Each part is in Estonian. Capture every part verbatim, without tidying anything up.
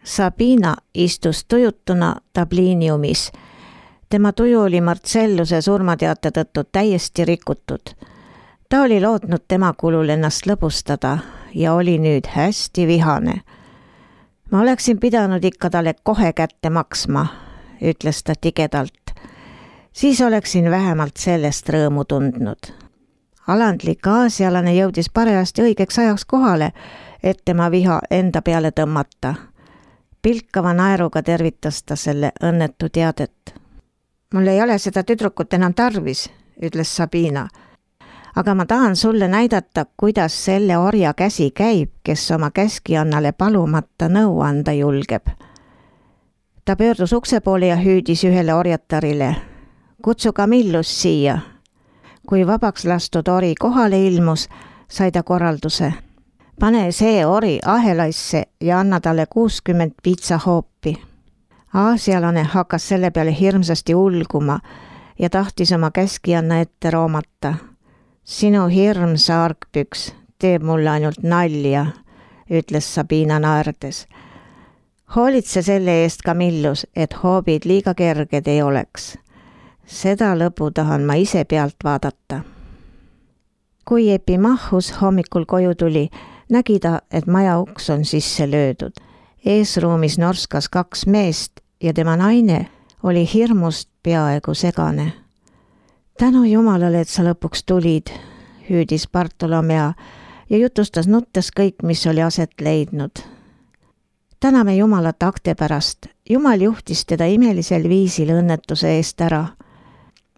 Sabina istus tujutuna tabliiniumis. Tema tuju oli Marcelluse surmateate tõttu täiesti rikutud. Ta oli lootnud tema kulul ennast lõbustada ja oli nüüd hästi vihane. Ma oleksin pidanud ikka talle kohe kätte maksma, ütles ta tigedalt. Siis oleksin vähemalt sellest rõõmu tundnud. Alandlik aasialane jõudis parajasti õigeks ajaks kohale, et tema viha enda peale tõmmata. Pilkava naeruga tervitas ta selle õnnetu teadet. Mul ei ole seda tüdrukut enam tarvis, ütles Sabina. Aga ma tahan sulle näidata, kuidas selle orja käsi käib, kes oma käskijannale palumata nõu anda julgeb. Ta pöördus ukse poole ja hüüdis ühele orjatarile. Kutsu Camillus siia. Kui vabaks lastud ori kohale ilmus, sai ta korralduse. Pane see ori ahelaisse ja anna talle kuuskümmend piitsahoopi. Aasialane hakkas selle peale hirmsasti ulguma ja tahtis oma käskijanna ette roomata. Sinu hirm, saarkpüks, teeb mulle ainult nalja, ütles Sabina naerdes. Hoolitse selle eest, Camillus, et hoobid liiga kerged ei oleks. Seda lõbu tahan ma ise pealt vaadata. Kui Epimachus hommikul koju tuli, nägi ta, et maja uks on sisse löödud. Eesruumis norskas kaks meest ja tema naine oli hirmust peaaegu segane. Tänu Jumalale, et sa lõpuks tulid, hüüdis Bartolomea ja jutustas nuttes kõik, mis oli aset leidnud. Täname Jumalat akte pärast. Jumal juhtis teda imelisel viisil õnnetuse eest ära.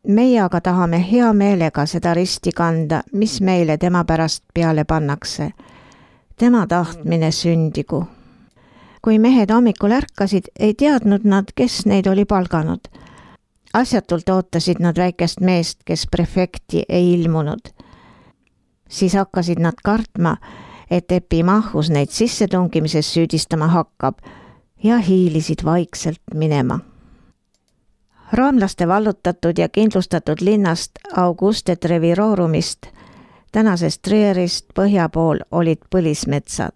Meie aga tahame hea meelega seda risti kanda, mis meile tema pärast peale pannakse. Tema tahtmine sündigu. Kui mehed hommikul ärkasid, ei teadnud nad, kes neid oli palganud. Asjatult ootasid nad väikest meest, kes prefekti ei ilmunud. Siis hakkasid nad kartma, et Epimachus neid sissetungimises süüdistama hakkab ja hiilisid vaikselt minema. Roomlaste vallutatud ja kindlustatud linnast Auguste Trevirorumist, tänasest Trierist põhja pool olid põlismetsad.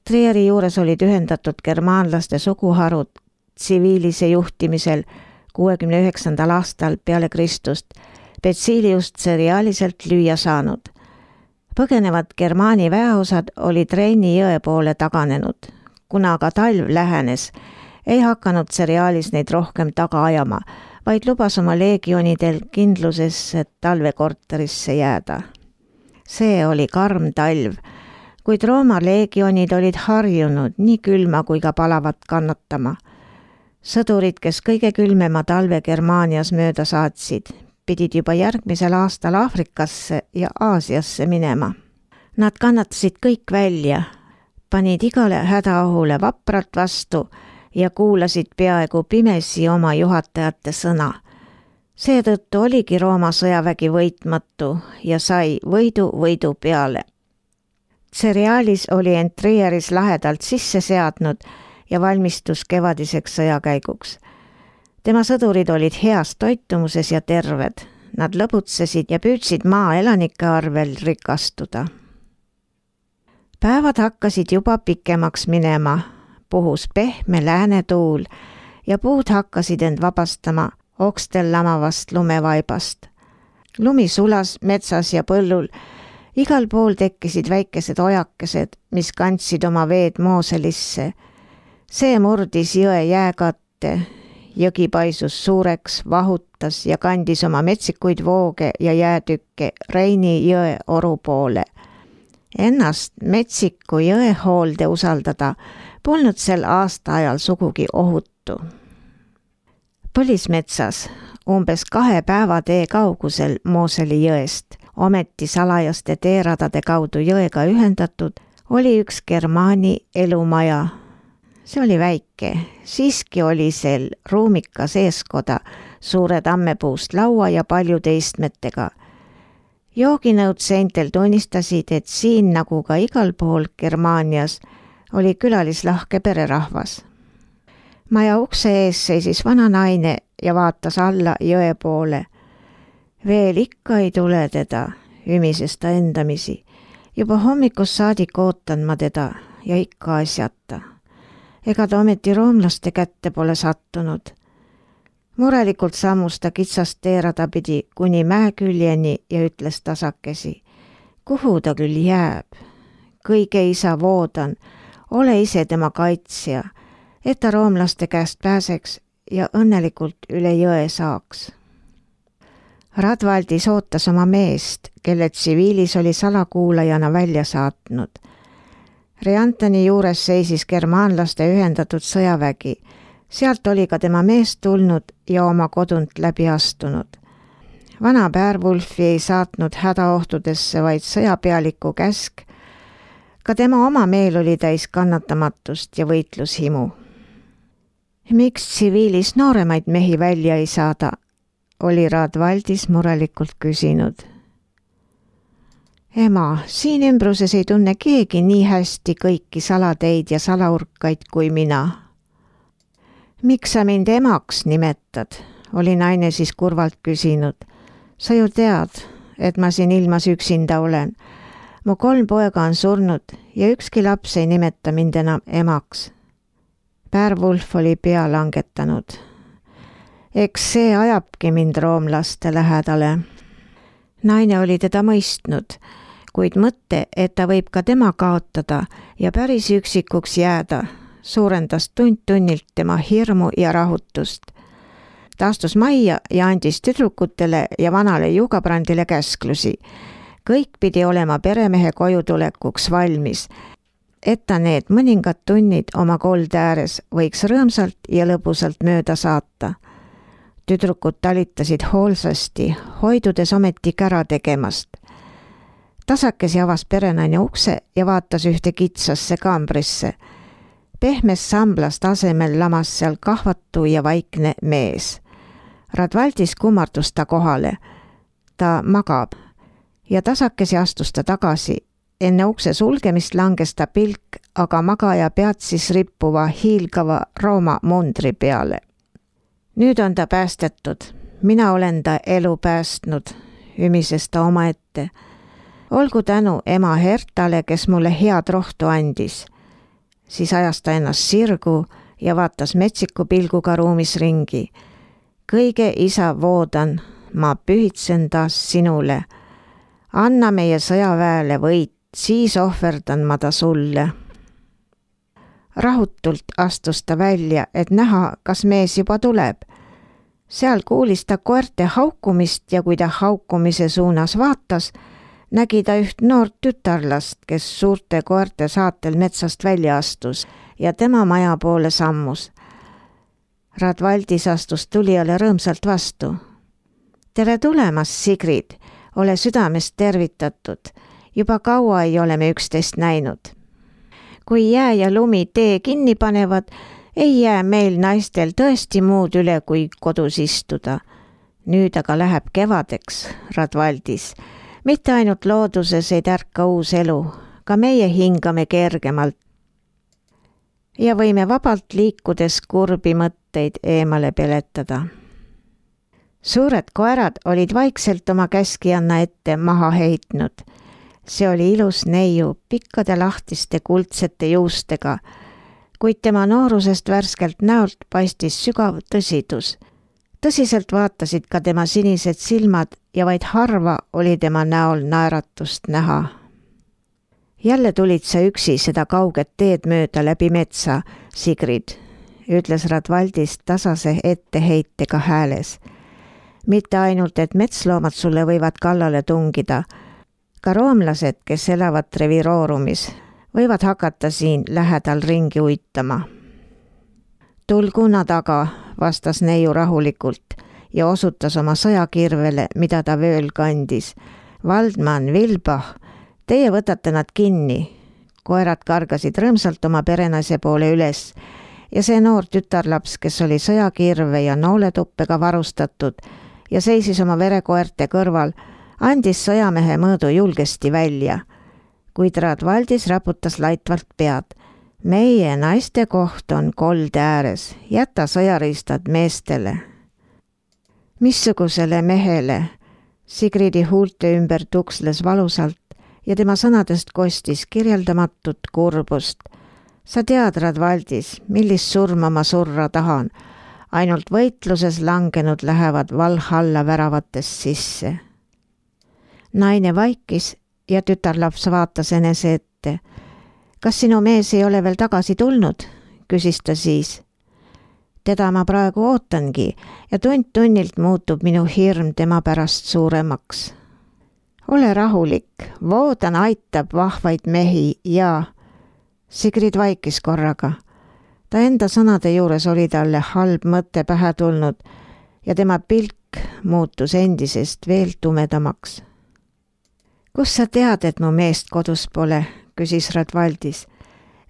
Trieri juures olid ühendatud germaanlaste suguharud tsiviilise juhtimisel kuuekümne üheksandal aastal peale Kristust Betsiliust seriaaliselt lüüa saanud. Põgenevad Germaani väeosad olid Reini jõe poole taganenud. Kuna aga talv lähenes, ei hakanud seriaalis neid rohkem taga ajama, vaid lubas oma leegionidel kindlusesse talvekorterisse jääda. See oli karm talv, kuid Rooma leegionid olid harjunud nii külma kui ka palavat kannatama. Sõdurid, kes kõige külmema talve Germaanias mööda saatsid, pidid juba järgmisel aastal Aafrikasse ja Aasiasse minema. Nad kannatasid kõik välja, panid igale hädaohule vapralt vastu ja kuulasid peaaegu pimesi oma juhatajate sõna. Seetõttu oligi Rooma sõjavägi võitmatu ja sai võidu võidu peale. Seriaalis oli end Trieris lahedalt sisse seadnud ja valmistus kevadiseks sõjakäiguks. Tema sõdurid olid heas toitumuses ja terved. Nad lõbutsesid ja püüdsid maa elanike arvel rikastuda. Päevad hakkasid juba pikemaks minema, puhus pehme läänetuul ja puud hakkasid end vabastama okstel lamavast lumevaibast. Lumi sulas metsas ja põllul. Igal pool tekkisid väikesed ojakesed, mis kandsid oma veed Mooselisse. See murdis jõe jääkatte. Jõgi paisus suureks, vahutas ja kandis oma metsikuid vooge ja jäätükke Reini jõe oru poole. Ennast metsiku jõe hoolde usaldada polnud sel aasta ajal sugugi ohutu. Põlismetsas, umbes kahe päeva tee kaugusel Mooseli jõest, ometi salajaste teeradade kaudu jõega ühendatud, oli üks Germaani elumaja. See oli väike, siiski oli sel ruumikas eeskoda, suure tammepuust laua ja paljude istmetega. Jooginõud seintel tunnistasid, et siin nagu ka igal pool Germaanias oli külalislahke pererahvas. Maja ukse ees seisis vana naine ja vaatas alla jõe poole. Veel ikka ei tule teda, ümises ta endamisi. Juba hommikus saadik ootan ma teda ja ikka asjata. ega ta ometi roomlaste kätte pole sattunud. Murelikult sammus ta kitsast teerada pidi kuni mäeküljeni ja ütles tasakesi. Kuhu ta küll jääb? Kõige isa voodan, ole ise tema kaitsja, et ta roomlaste käest pääseks ja õnnelikult üle jõe saaks. Radvaldis ootas oma meest, kelle tsiviilis oli salakuulajana välja saatnud. Riantani juures seisis germaanlaste ühendatud sõjavägi. Sealt oli ka tema mees tulnud ja oma kodunt läbi astunud. Vana Beowulfi ei saatnud hädaohtudesse vaid sõjapealiku käsk. Ka tema oma meel oli täis kannatamatust ja võitlushimu. Miks tsiviilis nooremaid mehi välja ei saada, oli Radvaldis murelikult küsinud. Ema, siin ümbruses ei tunne keegi nii hästi kõiki salateid ja salaurkaid kui mina. Miks sa mind emaks nimetad, oli naine siis kurvalt küsinud. Sa ju tead, et ma siin ilmas üksinda olen. Mu kolm poega on surnud ja ükski laps ei nimeta mind enam emaks. Beowulf oli pea langetanud. Eks see ajabki mind roomlaste lähedale. Naine oli teda mõistnud, kuid mõtte, et ta võib ka tema kaotada ja päris üksikuks jääda, suurendas tund tunnilt tema hirmu ja rahutust. Ta astus majja ja andis tüdrukutele ja vanale Jugabrandile käsklusi. Kõik pidi olema peremehe koju tulekuks valmis, et ta need mõningad tunnid oma kolde ääres võiks rõõmsalt ja lõbusalt mööda saata. Tüdrukud talitasid hoolsasti, hoidudes ometi kära tegemast. Tasakesi avas perenaine ukse ja vaatas ühte kitsasse kaambrisse. Pehmest samblast asemel lamas seal kahvatu ja vaikne mees. Radvaldis kummardus ta kohale. Ta magab ja tasakesi astus ta tagasi. Enne ukse sulgemist langes ta pilk, aga magaja peatsis rippuva hiilgava Rooma mundri peale. Nüüd on ta päästetud. Mina olen ta elu päästnud, ümises ta omaette. Olgu tänu ema Hertale, kes mulle head rohtu andis. Siis ajas ta ennast sirgu ja vaatas metsiku pilguga ruumis ringi. Kõige isa voodan, ma pühitsen taas sinule. Anna meie sõjaväele võit, siis ohverdan ma ta sulle. Rahutult astus ta välja, et näha, kas mees juba tuleb. Seal kuulis ta koerte haukumist ja kui ta haukumise suunas vaatas, nägi ta üht noort tütarlast, kes suurte koerte saatel metsast välja astus ja tema maja poole sammus. Radvaldis astus tulijale rõõmsalt vastu. Tere tulemast, Sigrid, ole südamest tervitatud. Juba kaua ei ole me üksteist näinud. Kui jää ja lumi tee kinni panevad, ei jää meil naistel tõesti muud üle kui kodus istuda. Nüüd aga läheb kevadeks, Radvaldis. Mitte ainult looduses ei tärka uus elu, ka meie hingame kergemalt. Ja võime vabalt liikudes kurbi mõtteid eemale peletada. Suured koerad olid vaikselt oma käskijanna ette maha heitnud. See oli ilus neiu pikkade lahtiste kuldsete juustega, kuid tema noorusest värskelt näolt paistis sügav tõsidus. Tõsiselt vaatasid ka tema sinised silmad ja vaid harva oli tema näol naeratust näha. Jälle tulid sa üksi seda kauget teed mööda läbi metsa, Sigrid, ütles Radvaldis tasase etteheitega hääles. Mitte ainult, et metsloomad sulle võivad kallale tungida, ka roomlased, kes elavad Treviroorumis, võivad hakata siin lähedal ringi uitama. Tulguna taga, vastas neiu rahulikult ja osutas oma sõjakirvele, mida ta vööl kandis. Valdman, Vilbah, teie võtate nad kinni. Koerad kargasid rõõmsalt oma perenaise poole üles ja see noor tütarlaps, kes oli sõjakirve ja nooletuppega varustatud ja seisis oma verekoerte kõrval, andis sõjamehe mõõdu julgesti välja, kuid Radvaldis raputas laitvalt pead. Meie naiste koht on kolde ääres, jäta sõjariistad meestele. Missugusele mehele? Sigridi huulte ümber tuksles valusalt ja tema sõnadest kostis kirjeldamatut kurbust. Sa tead, Radvaldis, millist surma ma surra tahan. Ainult võitluses langenud lähevad Valhalla väravatest sisse. Naine vaikis ja tütarlaps vaatas enese ette. Kas sinu mees ei ole veel tagasi tulnud? Küsis ta siis. Teda ma praegu ootangi ja tund tunnilt muutub minu hirm tema pärast suuremaks. Ole rahulik, Voodan aitab vahvaid mehi ja... Sigrid vaikis korraga. Ta enda sõnade juures oli talle halb mõte pähe tulnud ja tema pilk muutus endisest veel tumedamaks. Kus sa tead, et mu meest kodus pole, küsis Radvaldis.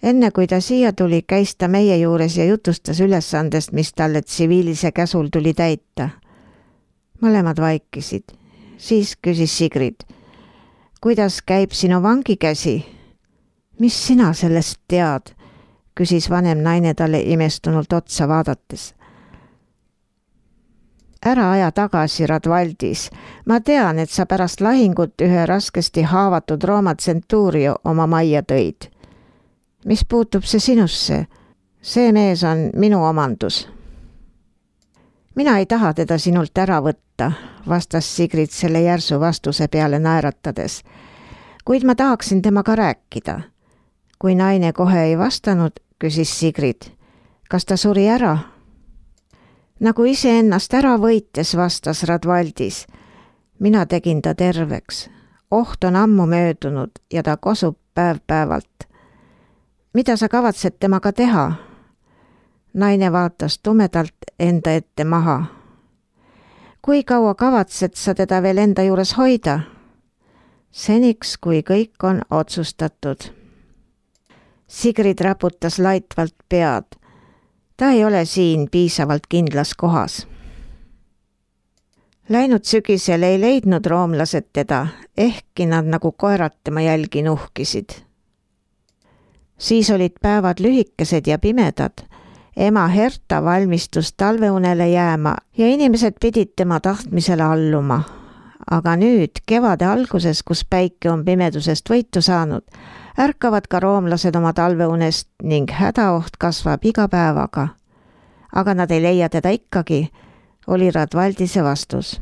Enne kui ta siia tuli, käis ta meie juures ja jutustas ülesandest, mis talle tsiviilise käsul tuli täita. Mõlemad vaikisid. Siis küsis Sigrid. Kuidas käib sinu vangikäsi? Mis sina sellest tead? Küsis vanem naine talle imestunult otsa vaadates. Ära aja tagasi, Radvaldis. Ma tean, et sa pärast lahingut ühe raskesti haavatud Rooma tsentuurio oma majja tõid. Mis puutub see sinusse? See mees on minu omandus. Mina ei taha teda sinult ära võtta, vastas Sigrid selle järsu vastuse peale naeratades. Kuid ma tahaksin temaga rääkida. Kui naine kohe ei vastanud, küsis Sigrid. Kas ta suri ära? Nagu ise ennast ära võites, vastas Radvaldis. Mina tegin ta terveks. Oht on ammu möödunud ja ta kosub päev-päevalt. Mida sa kavatsed temaga teha? Naine vaatas tumedalt enda ette maha. Kui kaua kavatsed sa teda veel enda juures hoida? Seniks, kui kõik on otsustatud. Sigrid raputas laitvalt pead. Ta ei ole siin piisavalt kindlas kohas. Läinud sügisel ei leidnud roomlased teda, ehkki nad nagu koerad tema jälgi nuhkisid. Siis olid päevad lühikesed ja pimedad. Ema Herta valmistus talveunele jääma ja inimesed pidid tema tahtmisele alluma. Aga nüüd, kevade alguses, kus päike on pimedusest võitu saanud, ärkavad ka roomlased oma talveunest ning hädaoht kasvab iga päevaga. Aga nad ei leia teda ikkagi, oli Radvaldise vastus.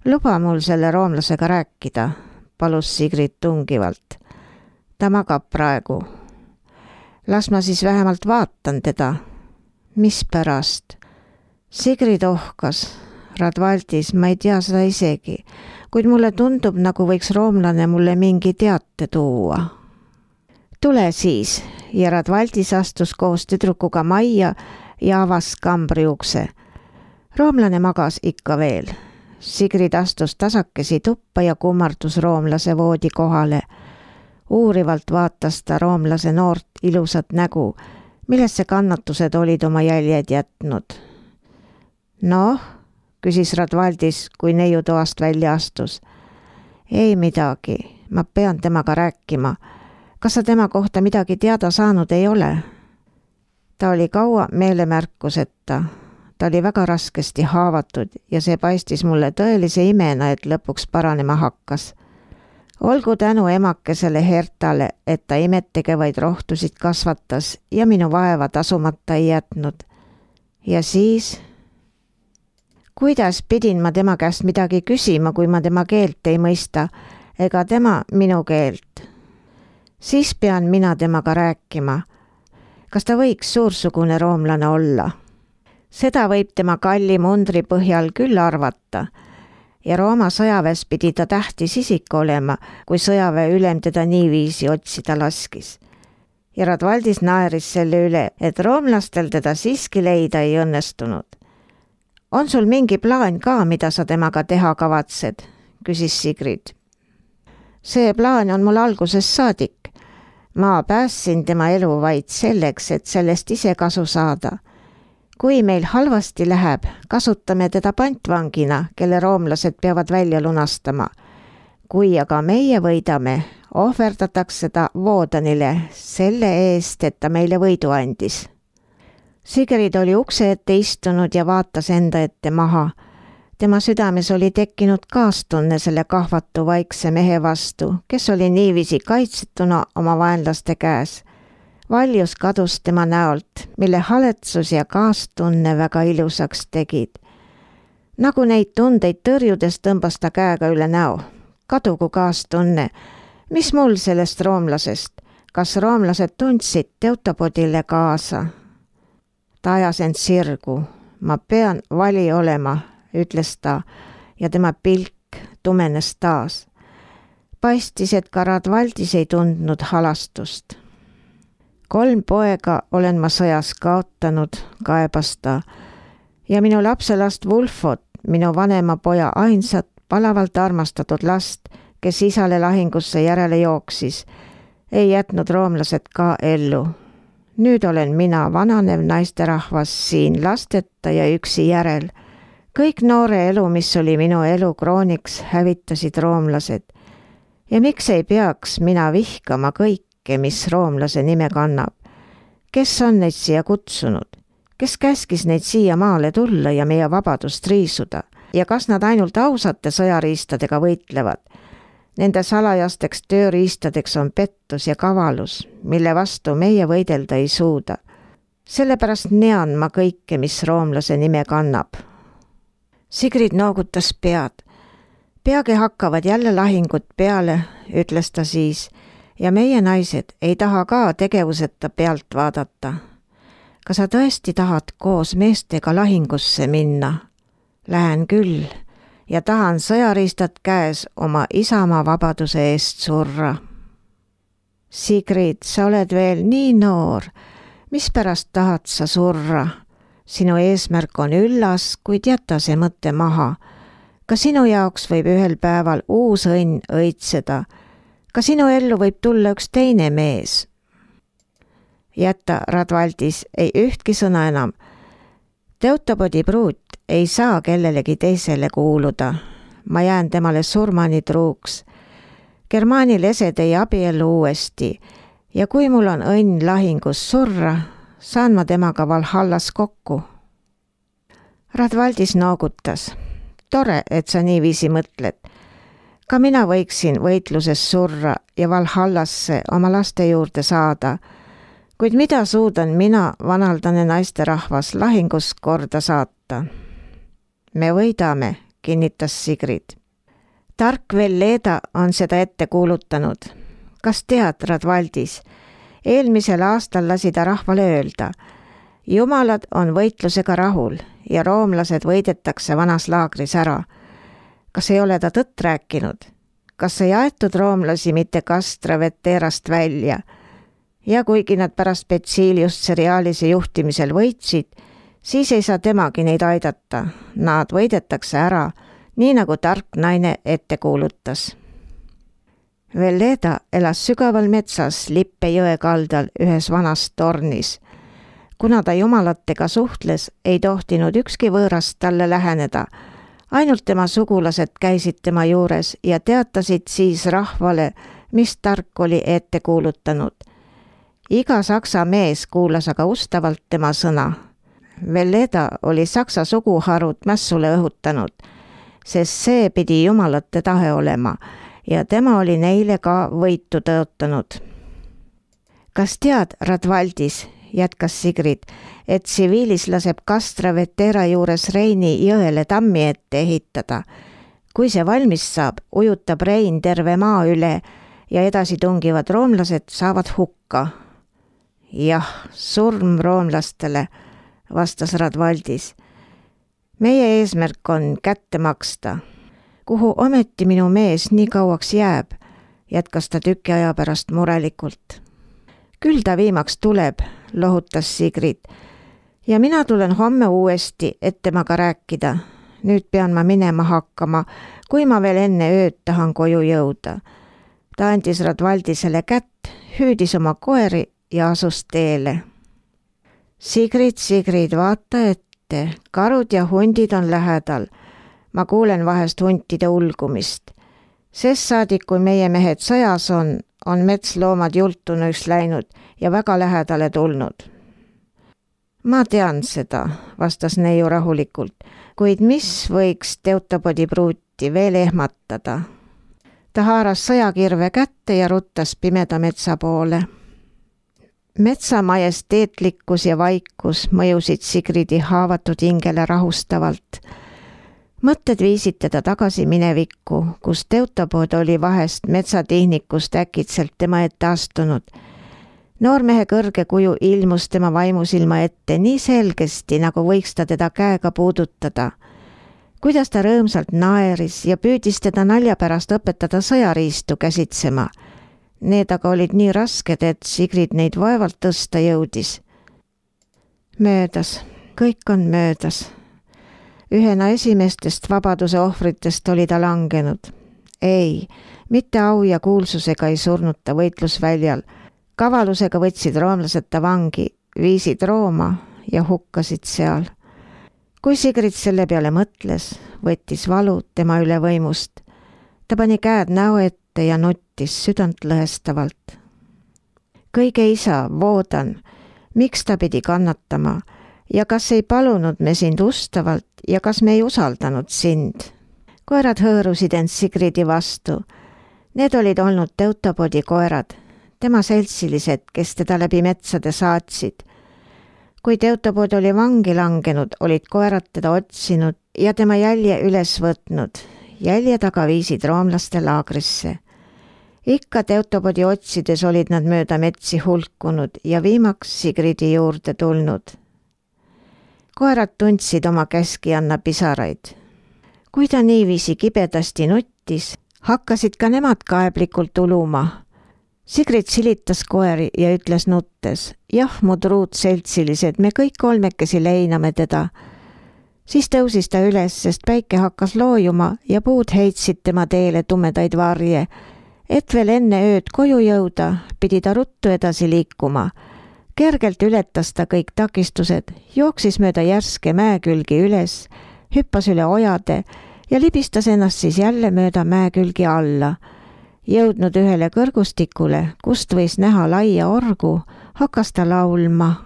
Luba mul selle roomlasega rääkida, palus Sigrid tungivalt. Ta magab praegu. Las ma siis vähemalt vaatan teda. Mis pärast? Sigrid ohkas. Radvaldis, ma ei tea seda isegi, kuid mulle tundub, nagu võiks roomlane mulle mingi teate tuua. Tule siis, ja Radvaldis astus koos tüdrukuga majja ja avas kambri ukse. Roomlane magas ikka veel. Sigrid astus tasakesi tuppa ja kummardus roomlase voodi kohale. Uurivalt vaatas ta roomlase noort ilusat nägu, millesse kannatused olid oma jäljed jätnud. Noh, küsis Radvaldis, kui neiu toast välja astus. Ei midagi, ma pean temaga rääkima. Kas sa tema kohta midagi teada saanud ei ole? Ta oli kaua meelemärkuseta. Ta oli väga raskesti haavatud ja see paistis mulle tõelise imena, et lõpuks paranema hakkas. Olgu tänu emakesele Hertale, et ta imettegevaid rohtusid kasvatas ja minu vaeva tasumata ei jätnud. Ja siis... Kuidas pidin ma tema käest midagi küsima, kui ma tema keelt ei mõista, ega tema minu keelt? Siis pean mina temaga rääkima. Kas ta võiks suursugune roomlane olla? Seda võib tema kalli mundri põhjal küll arvata. Ja Rooma sõjaväes pidi ta tähtis isik olema, kui sõjaväe ülem teda niiviisi otsida laskis. Ja Radvaldis naeris selle üle, et roomlastel teda siiski leida ei õnnestunud. On sul mingi plaan ka, mida sa temaga teha kavatsed? Küsis Sigrid. See plaan on mul algusest saadik. Ma päässin tema elu vaid selleks, et sellest ise kasu saada. Kui meil halvasti läheb, kasutame teda pantvangina, kelle roomlased peavad välja lunastama. Kui aga meie võidame, ohverdatakse ta Voodanile selle eest, et ta meile võidu andis. Sigrid oli ukse ette istunud ja vaatas enda ette maha. Tema südames oli tekkinud kaastunne selle kahvatu vaikse mehe vastu, kes oli niiviisi kaitsetuna oma vaenlaste käes. Valjus kadus tema näolt, mille haletsus ja kaastunne väga ilusaks tegid. Nagu neid tundeid tõrjudes tõmbas ta käega üle näo. Kadugu kaastunne. Mis mul sellest roomlasest? Kas roomlased tundsid Teutobodile kaasa? Ta ajas end sirgu. Ma pean vali olema, ütles ta, ja tema pilk tumenes taas. Paistis, et ka Radvaldis ei tundnud halastust. Kolm poega olen ma sõjas kaotanud, kaebas ta, ja minu lapselast Wulfot, minu vanema poja ainsat, palavalt armastatud last, kes isale lahingusse järele jooksis, ei jätnud roomlased ka ellu. Nüüd olen mina vananev naisterahvas siin lasteta ja üksi järel. Kõik noore elu, mis oli minu elu krooniks, hävitasid roomlased. Ja miks ei peaks mina vihkama kõike, mis roomlase nime kannab? Kes on neid siia kutsunud? Kes käskis neid siia maale tulla ja meie vabadust riisuda? Ja kas nad ainult ausate sõjariistadega võitlevad? Nende salajasteks tööriistadeks on pettus ja kavalus, mille vastu meie võidelda ei suuda. Sellepärast nean ma kõike, mis roomlase nime kannab. Sigrid noogutas pead. Peagi hakkavad jälle lahingud peale, ütles ta siis, ja meie naised ei taha ka tegevuseta pealt vaadata. Kas sa tõesti tahad koos meestega lahingusse minna? Lähen küll. Ja tahan sõjariistad käes oma isamaa vabaduse eest surra. Sigrid, sa oled veel nii noor. Mispärast tahad sa surra? Sinu eesmärk on üllas, kuid jäta see mõte maha. Ka sinu jaoks võib ühel päeval uus õnn õitseda. Ka sinu ellu võib tulla üks teine mees. Jäta, Radvaldis, ei ühtki sõna enam. Teutobodi pruut ei saa kellelegi teisele kuuluda. Ma jään temale surmani truuks. Germaani lesed ei abiellu uuesti ja kui mul on õnn lahingus surra, saan ma temaga Valhallas kokku. Radvaldis noogutas. Tore, et sa niiviisi mõtled. Ka mina võiksin võitluses surra ja Valhallasse oma laste juurde saada. Kuid mida suudan mina, vanaldane naisterahvas, lahingus korda saata? Me võidame, kinnitas Sigrid. Tark Velleda on seda ette kuulutanud. Kas tead, Radvaldis? Eelmisel aastal lasi ta rahvale öelda. Jumalad on võitlusega rahul ja roomlased võidetakse vanas laagris ära. Kas ei ole ta tõtt rääkinud? Kas ei aetud roomlasi mitte Castra Veterast välja? Ja kuigi nad pärast Betsiiliust seriaalise juhtimisel võitsid, siis ei saa temagi neid aidata. Nad võidetakse ära, nii nagu tark naine ette kuulutas. Velleda elas sügaval metsas Lippe jõe kaldal ühes vanas tornis. Kuna ta jumalatega suhtles, ei tohtinud ükski võõrast talle läheneda. Ainult tema sugulased käisid tema juures ja teatasid siis rahvale, mis tark oli ette kuulutanud. Iga saksa mees kuulas aga ustavalt tema sõna. Velleda oli saksa suguharud mässule õhutanud, sest see pidi jumalate tahe olema ja tema oli neile ka võitu tõotanud. Kas tead, Radvaldis, jätkas Sigrid, et tsiviilis laseb Castra Vetera juures Reini jõele tammi ette ehitada. Kui see valmis saab, ujutab Rein terve maa üle ja edasi tungivad roomlased saavad hukka. Jah, surm roomlastele, vastas Radvaldis. Meie eesmärk on kätte maksta. Kuhu ometi minu mees nii kauaks jääb, jätkas ta tüki aja pärast murelikult. Küll ta viimaks tuleb, lohutas Sigrid. Ja mina tulen homme uuesti, et temaga rääkida. Nüüd pean ma minema hakkama, kui ma veel enne ööd tahan koju jõuda. Ta andis Radvaldisele kätt, hüüdis oma koeri ja asus teele. Sigrid, Sigrid, vaata ette, karud ja hundid on lähedal. Ma kuulen vahest huntide ulgumist. Sest saadik, kui meie mehed sõjas on, on metsloomad jultunuks läinud ja väga lähedale tulnud. Ma tean seda, vastas neiu rahulikult, kuid mis võiks Teutobodi pruuti veel ehmatada? Ta haaras sõjakirve kätte ja ruttas pimeda metsa poole. Metsa majesteetlikkus ja vaikus mõjusid Sigridi haavatud hingele rahustavalt. Mõtted viisid teda tagasi minevikku, kus Teutopood oli vahest metsatihnikust äkitselt tema ette astunud. Noormehe kõrge kuju ilmus tema vaimusilma ette nii selgesti, nagu võiks ta teda käega puudutada. Kuidas ta rõõmsalt naeris ja püüdis teda nalja pärast õpetada sõjariistu käsitsema. Need aga olid nii rasked, et Sigrid neid vaevalt tõsta jõudis. Möödas, kõik on möödas. Ühena esimestest vabaduse ohvritest oli ta langenud. Ei, mitte au ja kuulsusega ei surnud ta võitlusväljal. Kavalusega võtsid roomlased ta vangi, viisid Rooma ja hukkasid seal. Kui Sigrid selle peale mõtles, võttis valu tema üle võimust. Ta pani käed näo ette ja nuttis südant lõhestavalt. Kõige isa, voodan, miks ta pidi kannatama ja kas ei palunud me sind ustavalt ja kas me ei usaldanud sind. Koerad hõõrusid end Sigridi vastu. Need olid olnud Teutopoodi koerad, tema seltsilised, kes teda läbi metsade saatsid. Kui Teutopood oli vangi langenud, olid koerad teda otsinud ja tema jälje üles võtnud. Jälje taga viisid roomlaste laagrisse. Ikka Teutopoodi otsides olid nad mööda metsi hulkunud ja viimaks Sigridi juurde tulnud. Koerad tundsid oma käskianna pisaraid. Kui ta niiviisi kibedasti nuttis, hakkasid ka nemad kaeblikult uluma. Sigrid silitas koeri ja ütles nuttes, jah, mu truud seltsilised, me kõik kolmekesi leiname teda. Siis tõusis ta üles, sest päike hakkas loojuma ja puud heitsid tema teele tumedaid varje. Et veel enne ööd koju jõuda, pidi ta ruttu edasi liikuma. Kergelt ületas ta kõik takistused, jooksis mööda järske mäekülgi üles, hüppas üle ojade ja libistas ennast siis jälle mööda mäekülgi alla. Jõudnud ühele kõrgustikule, kust võis näha laia orgu, hakkas ta laulma.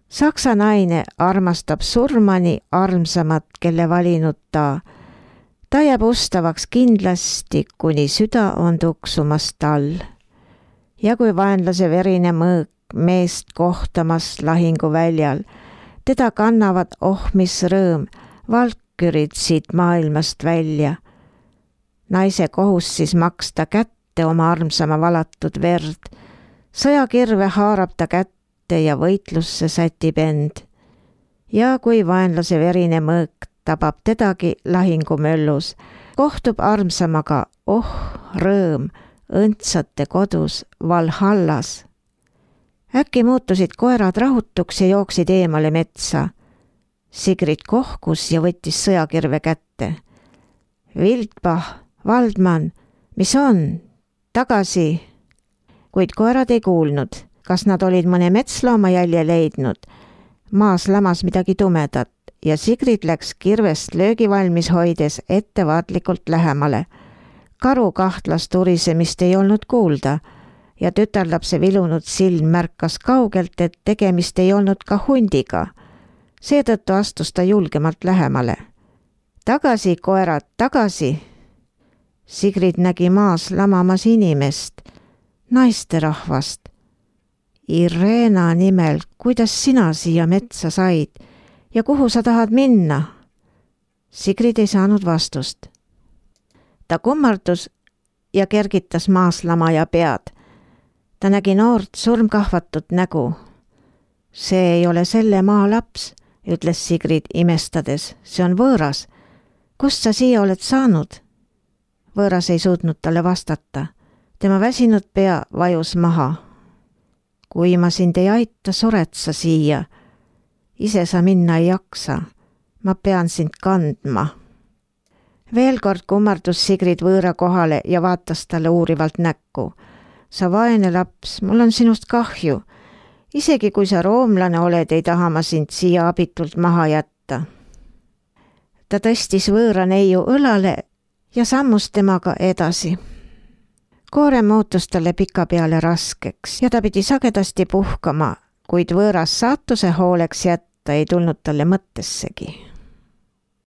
Saksa naine armastab surmani armsamat, kelle valinud ta. Ta jääb ustavaks kindlasti, kuni süda on tuksumas tal. Ja kui vaenlase verine mõõk meest kohtamas lahinguväljal, teda kannavad oh mis rõõm, valkürid siit maailmast välja. Naise kohus siis maksta kätte oma armsama valatud verd. Sõjakirve haarab ta kätte ja võitlusse sätib end. Ja kui vaenlase verine mõõk tabab tedagi lahingumöllus, kohtub armsamaga, oh rõõm, õndsate kodus Valhallas. Äkki muutusid koerad rahutuks ja jooksid eemale metsa. Sigrid kohkus ja võttis sõjakirve kätte. Wildbach, Valdman, mis on? Tagasi! Kuid koerad ei kuulnud, kas nad olid mõne metslooma jälje leidnud. Maas lamas midagi tumedat ja Sigrid läks kirvest löögi valmis hoides ettevaatlikult lähemale. Karu kahtlas turisemist ei olnud kuulda ja tütarlapse vilunud silm märkas kaugelt, et tegemist ei olnud ka hundiga. Seetõttu astus ta julgemalt lähemale. Tagasi, koerad, tagasi! Sigrid nägi maas lamamas inimest, naisterahvast. Irena nimel, kuidas sina siia metsa said ja kuhu sa tahad minna? Sigrid ei saanud vastust. Ta kummardus ja kergitas maas lamaja pead. Ta nägi noort surmkahvatut nägu. See ei ole selle maa laps, ütles Sigrid imestades. See on võõras. Kust sa siia oled saanud? Võõras ei suutnud talle vastata. Tema väsinud pea vajus maha. Kui ma sind ei aita, sured sa siia. Ise sa minna ei jaksa. Ma pean sind kandma. Veel kord kummardus Sigrid võõra kohale ja vaatas talle uurivalt näkku. Sa vaene laps, mul on sinust kahju. Isegi kui sa roomlane oled, ei taha ma sind siia abitult maha jätta. Ta tõstis võõra neiu õlale ja sammus temaga edasi. Koorem muutus talle pika peale raskeks ja ta pidi sagedasti puhkama, kuid võõras saatuse hooleks jätta ei tulnud talle mõttessegi.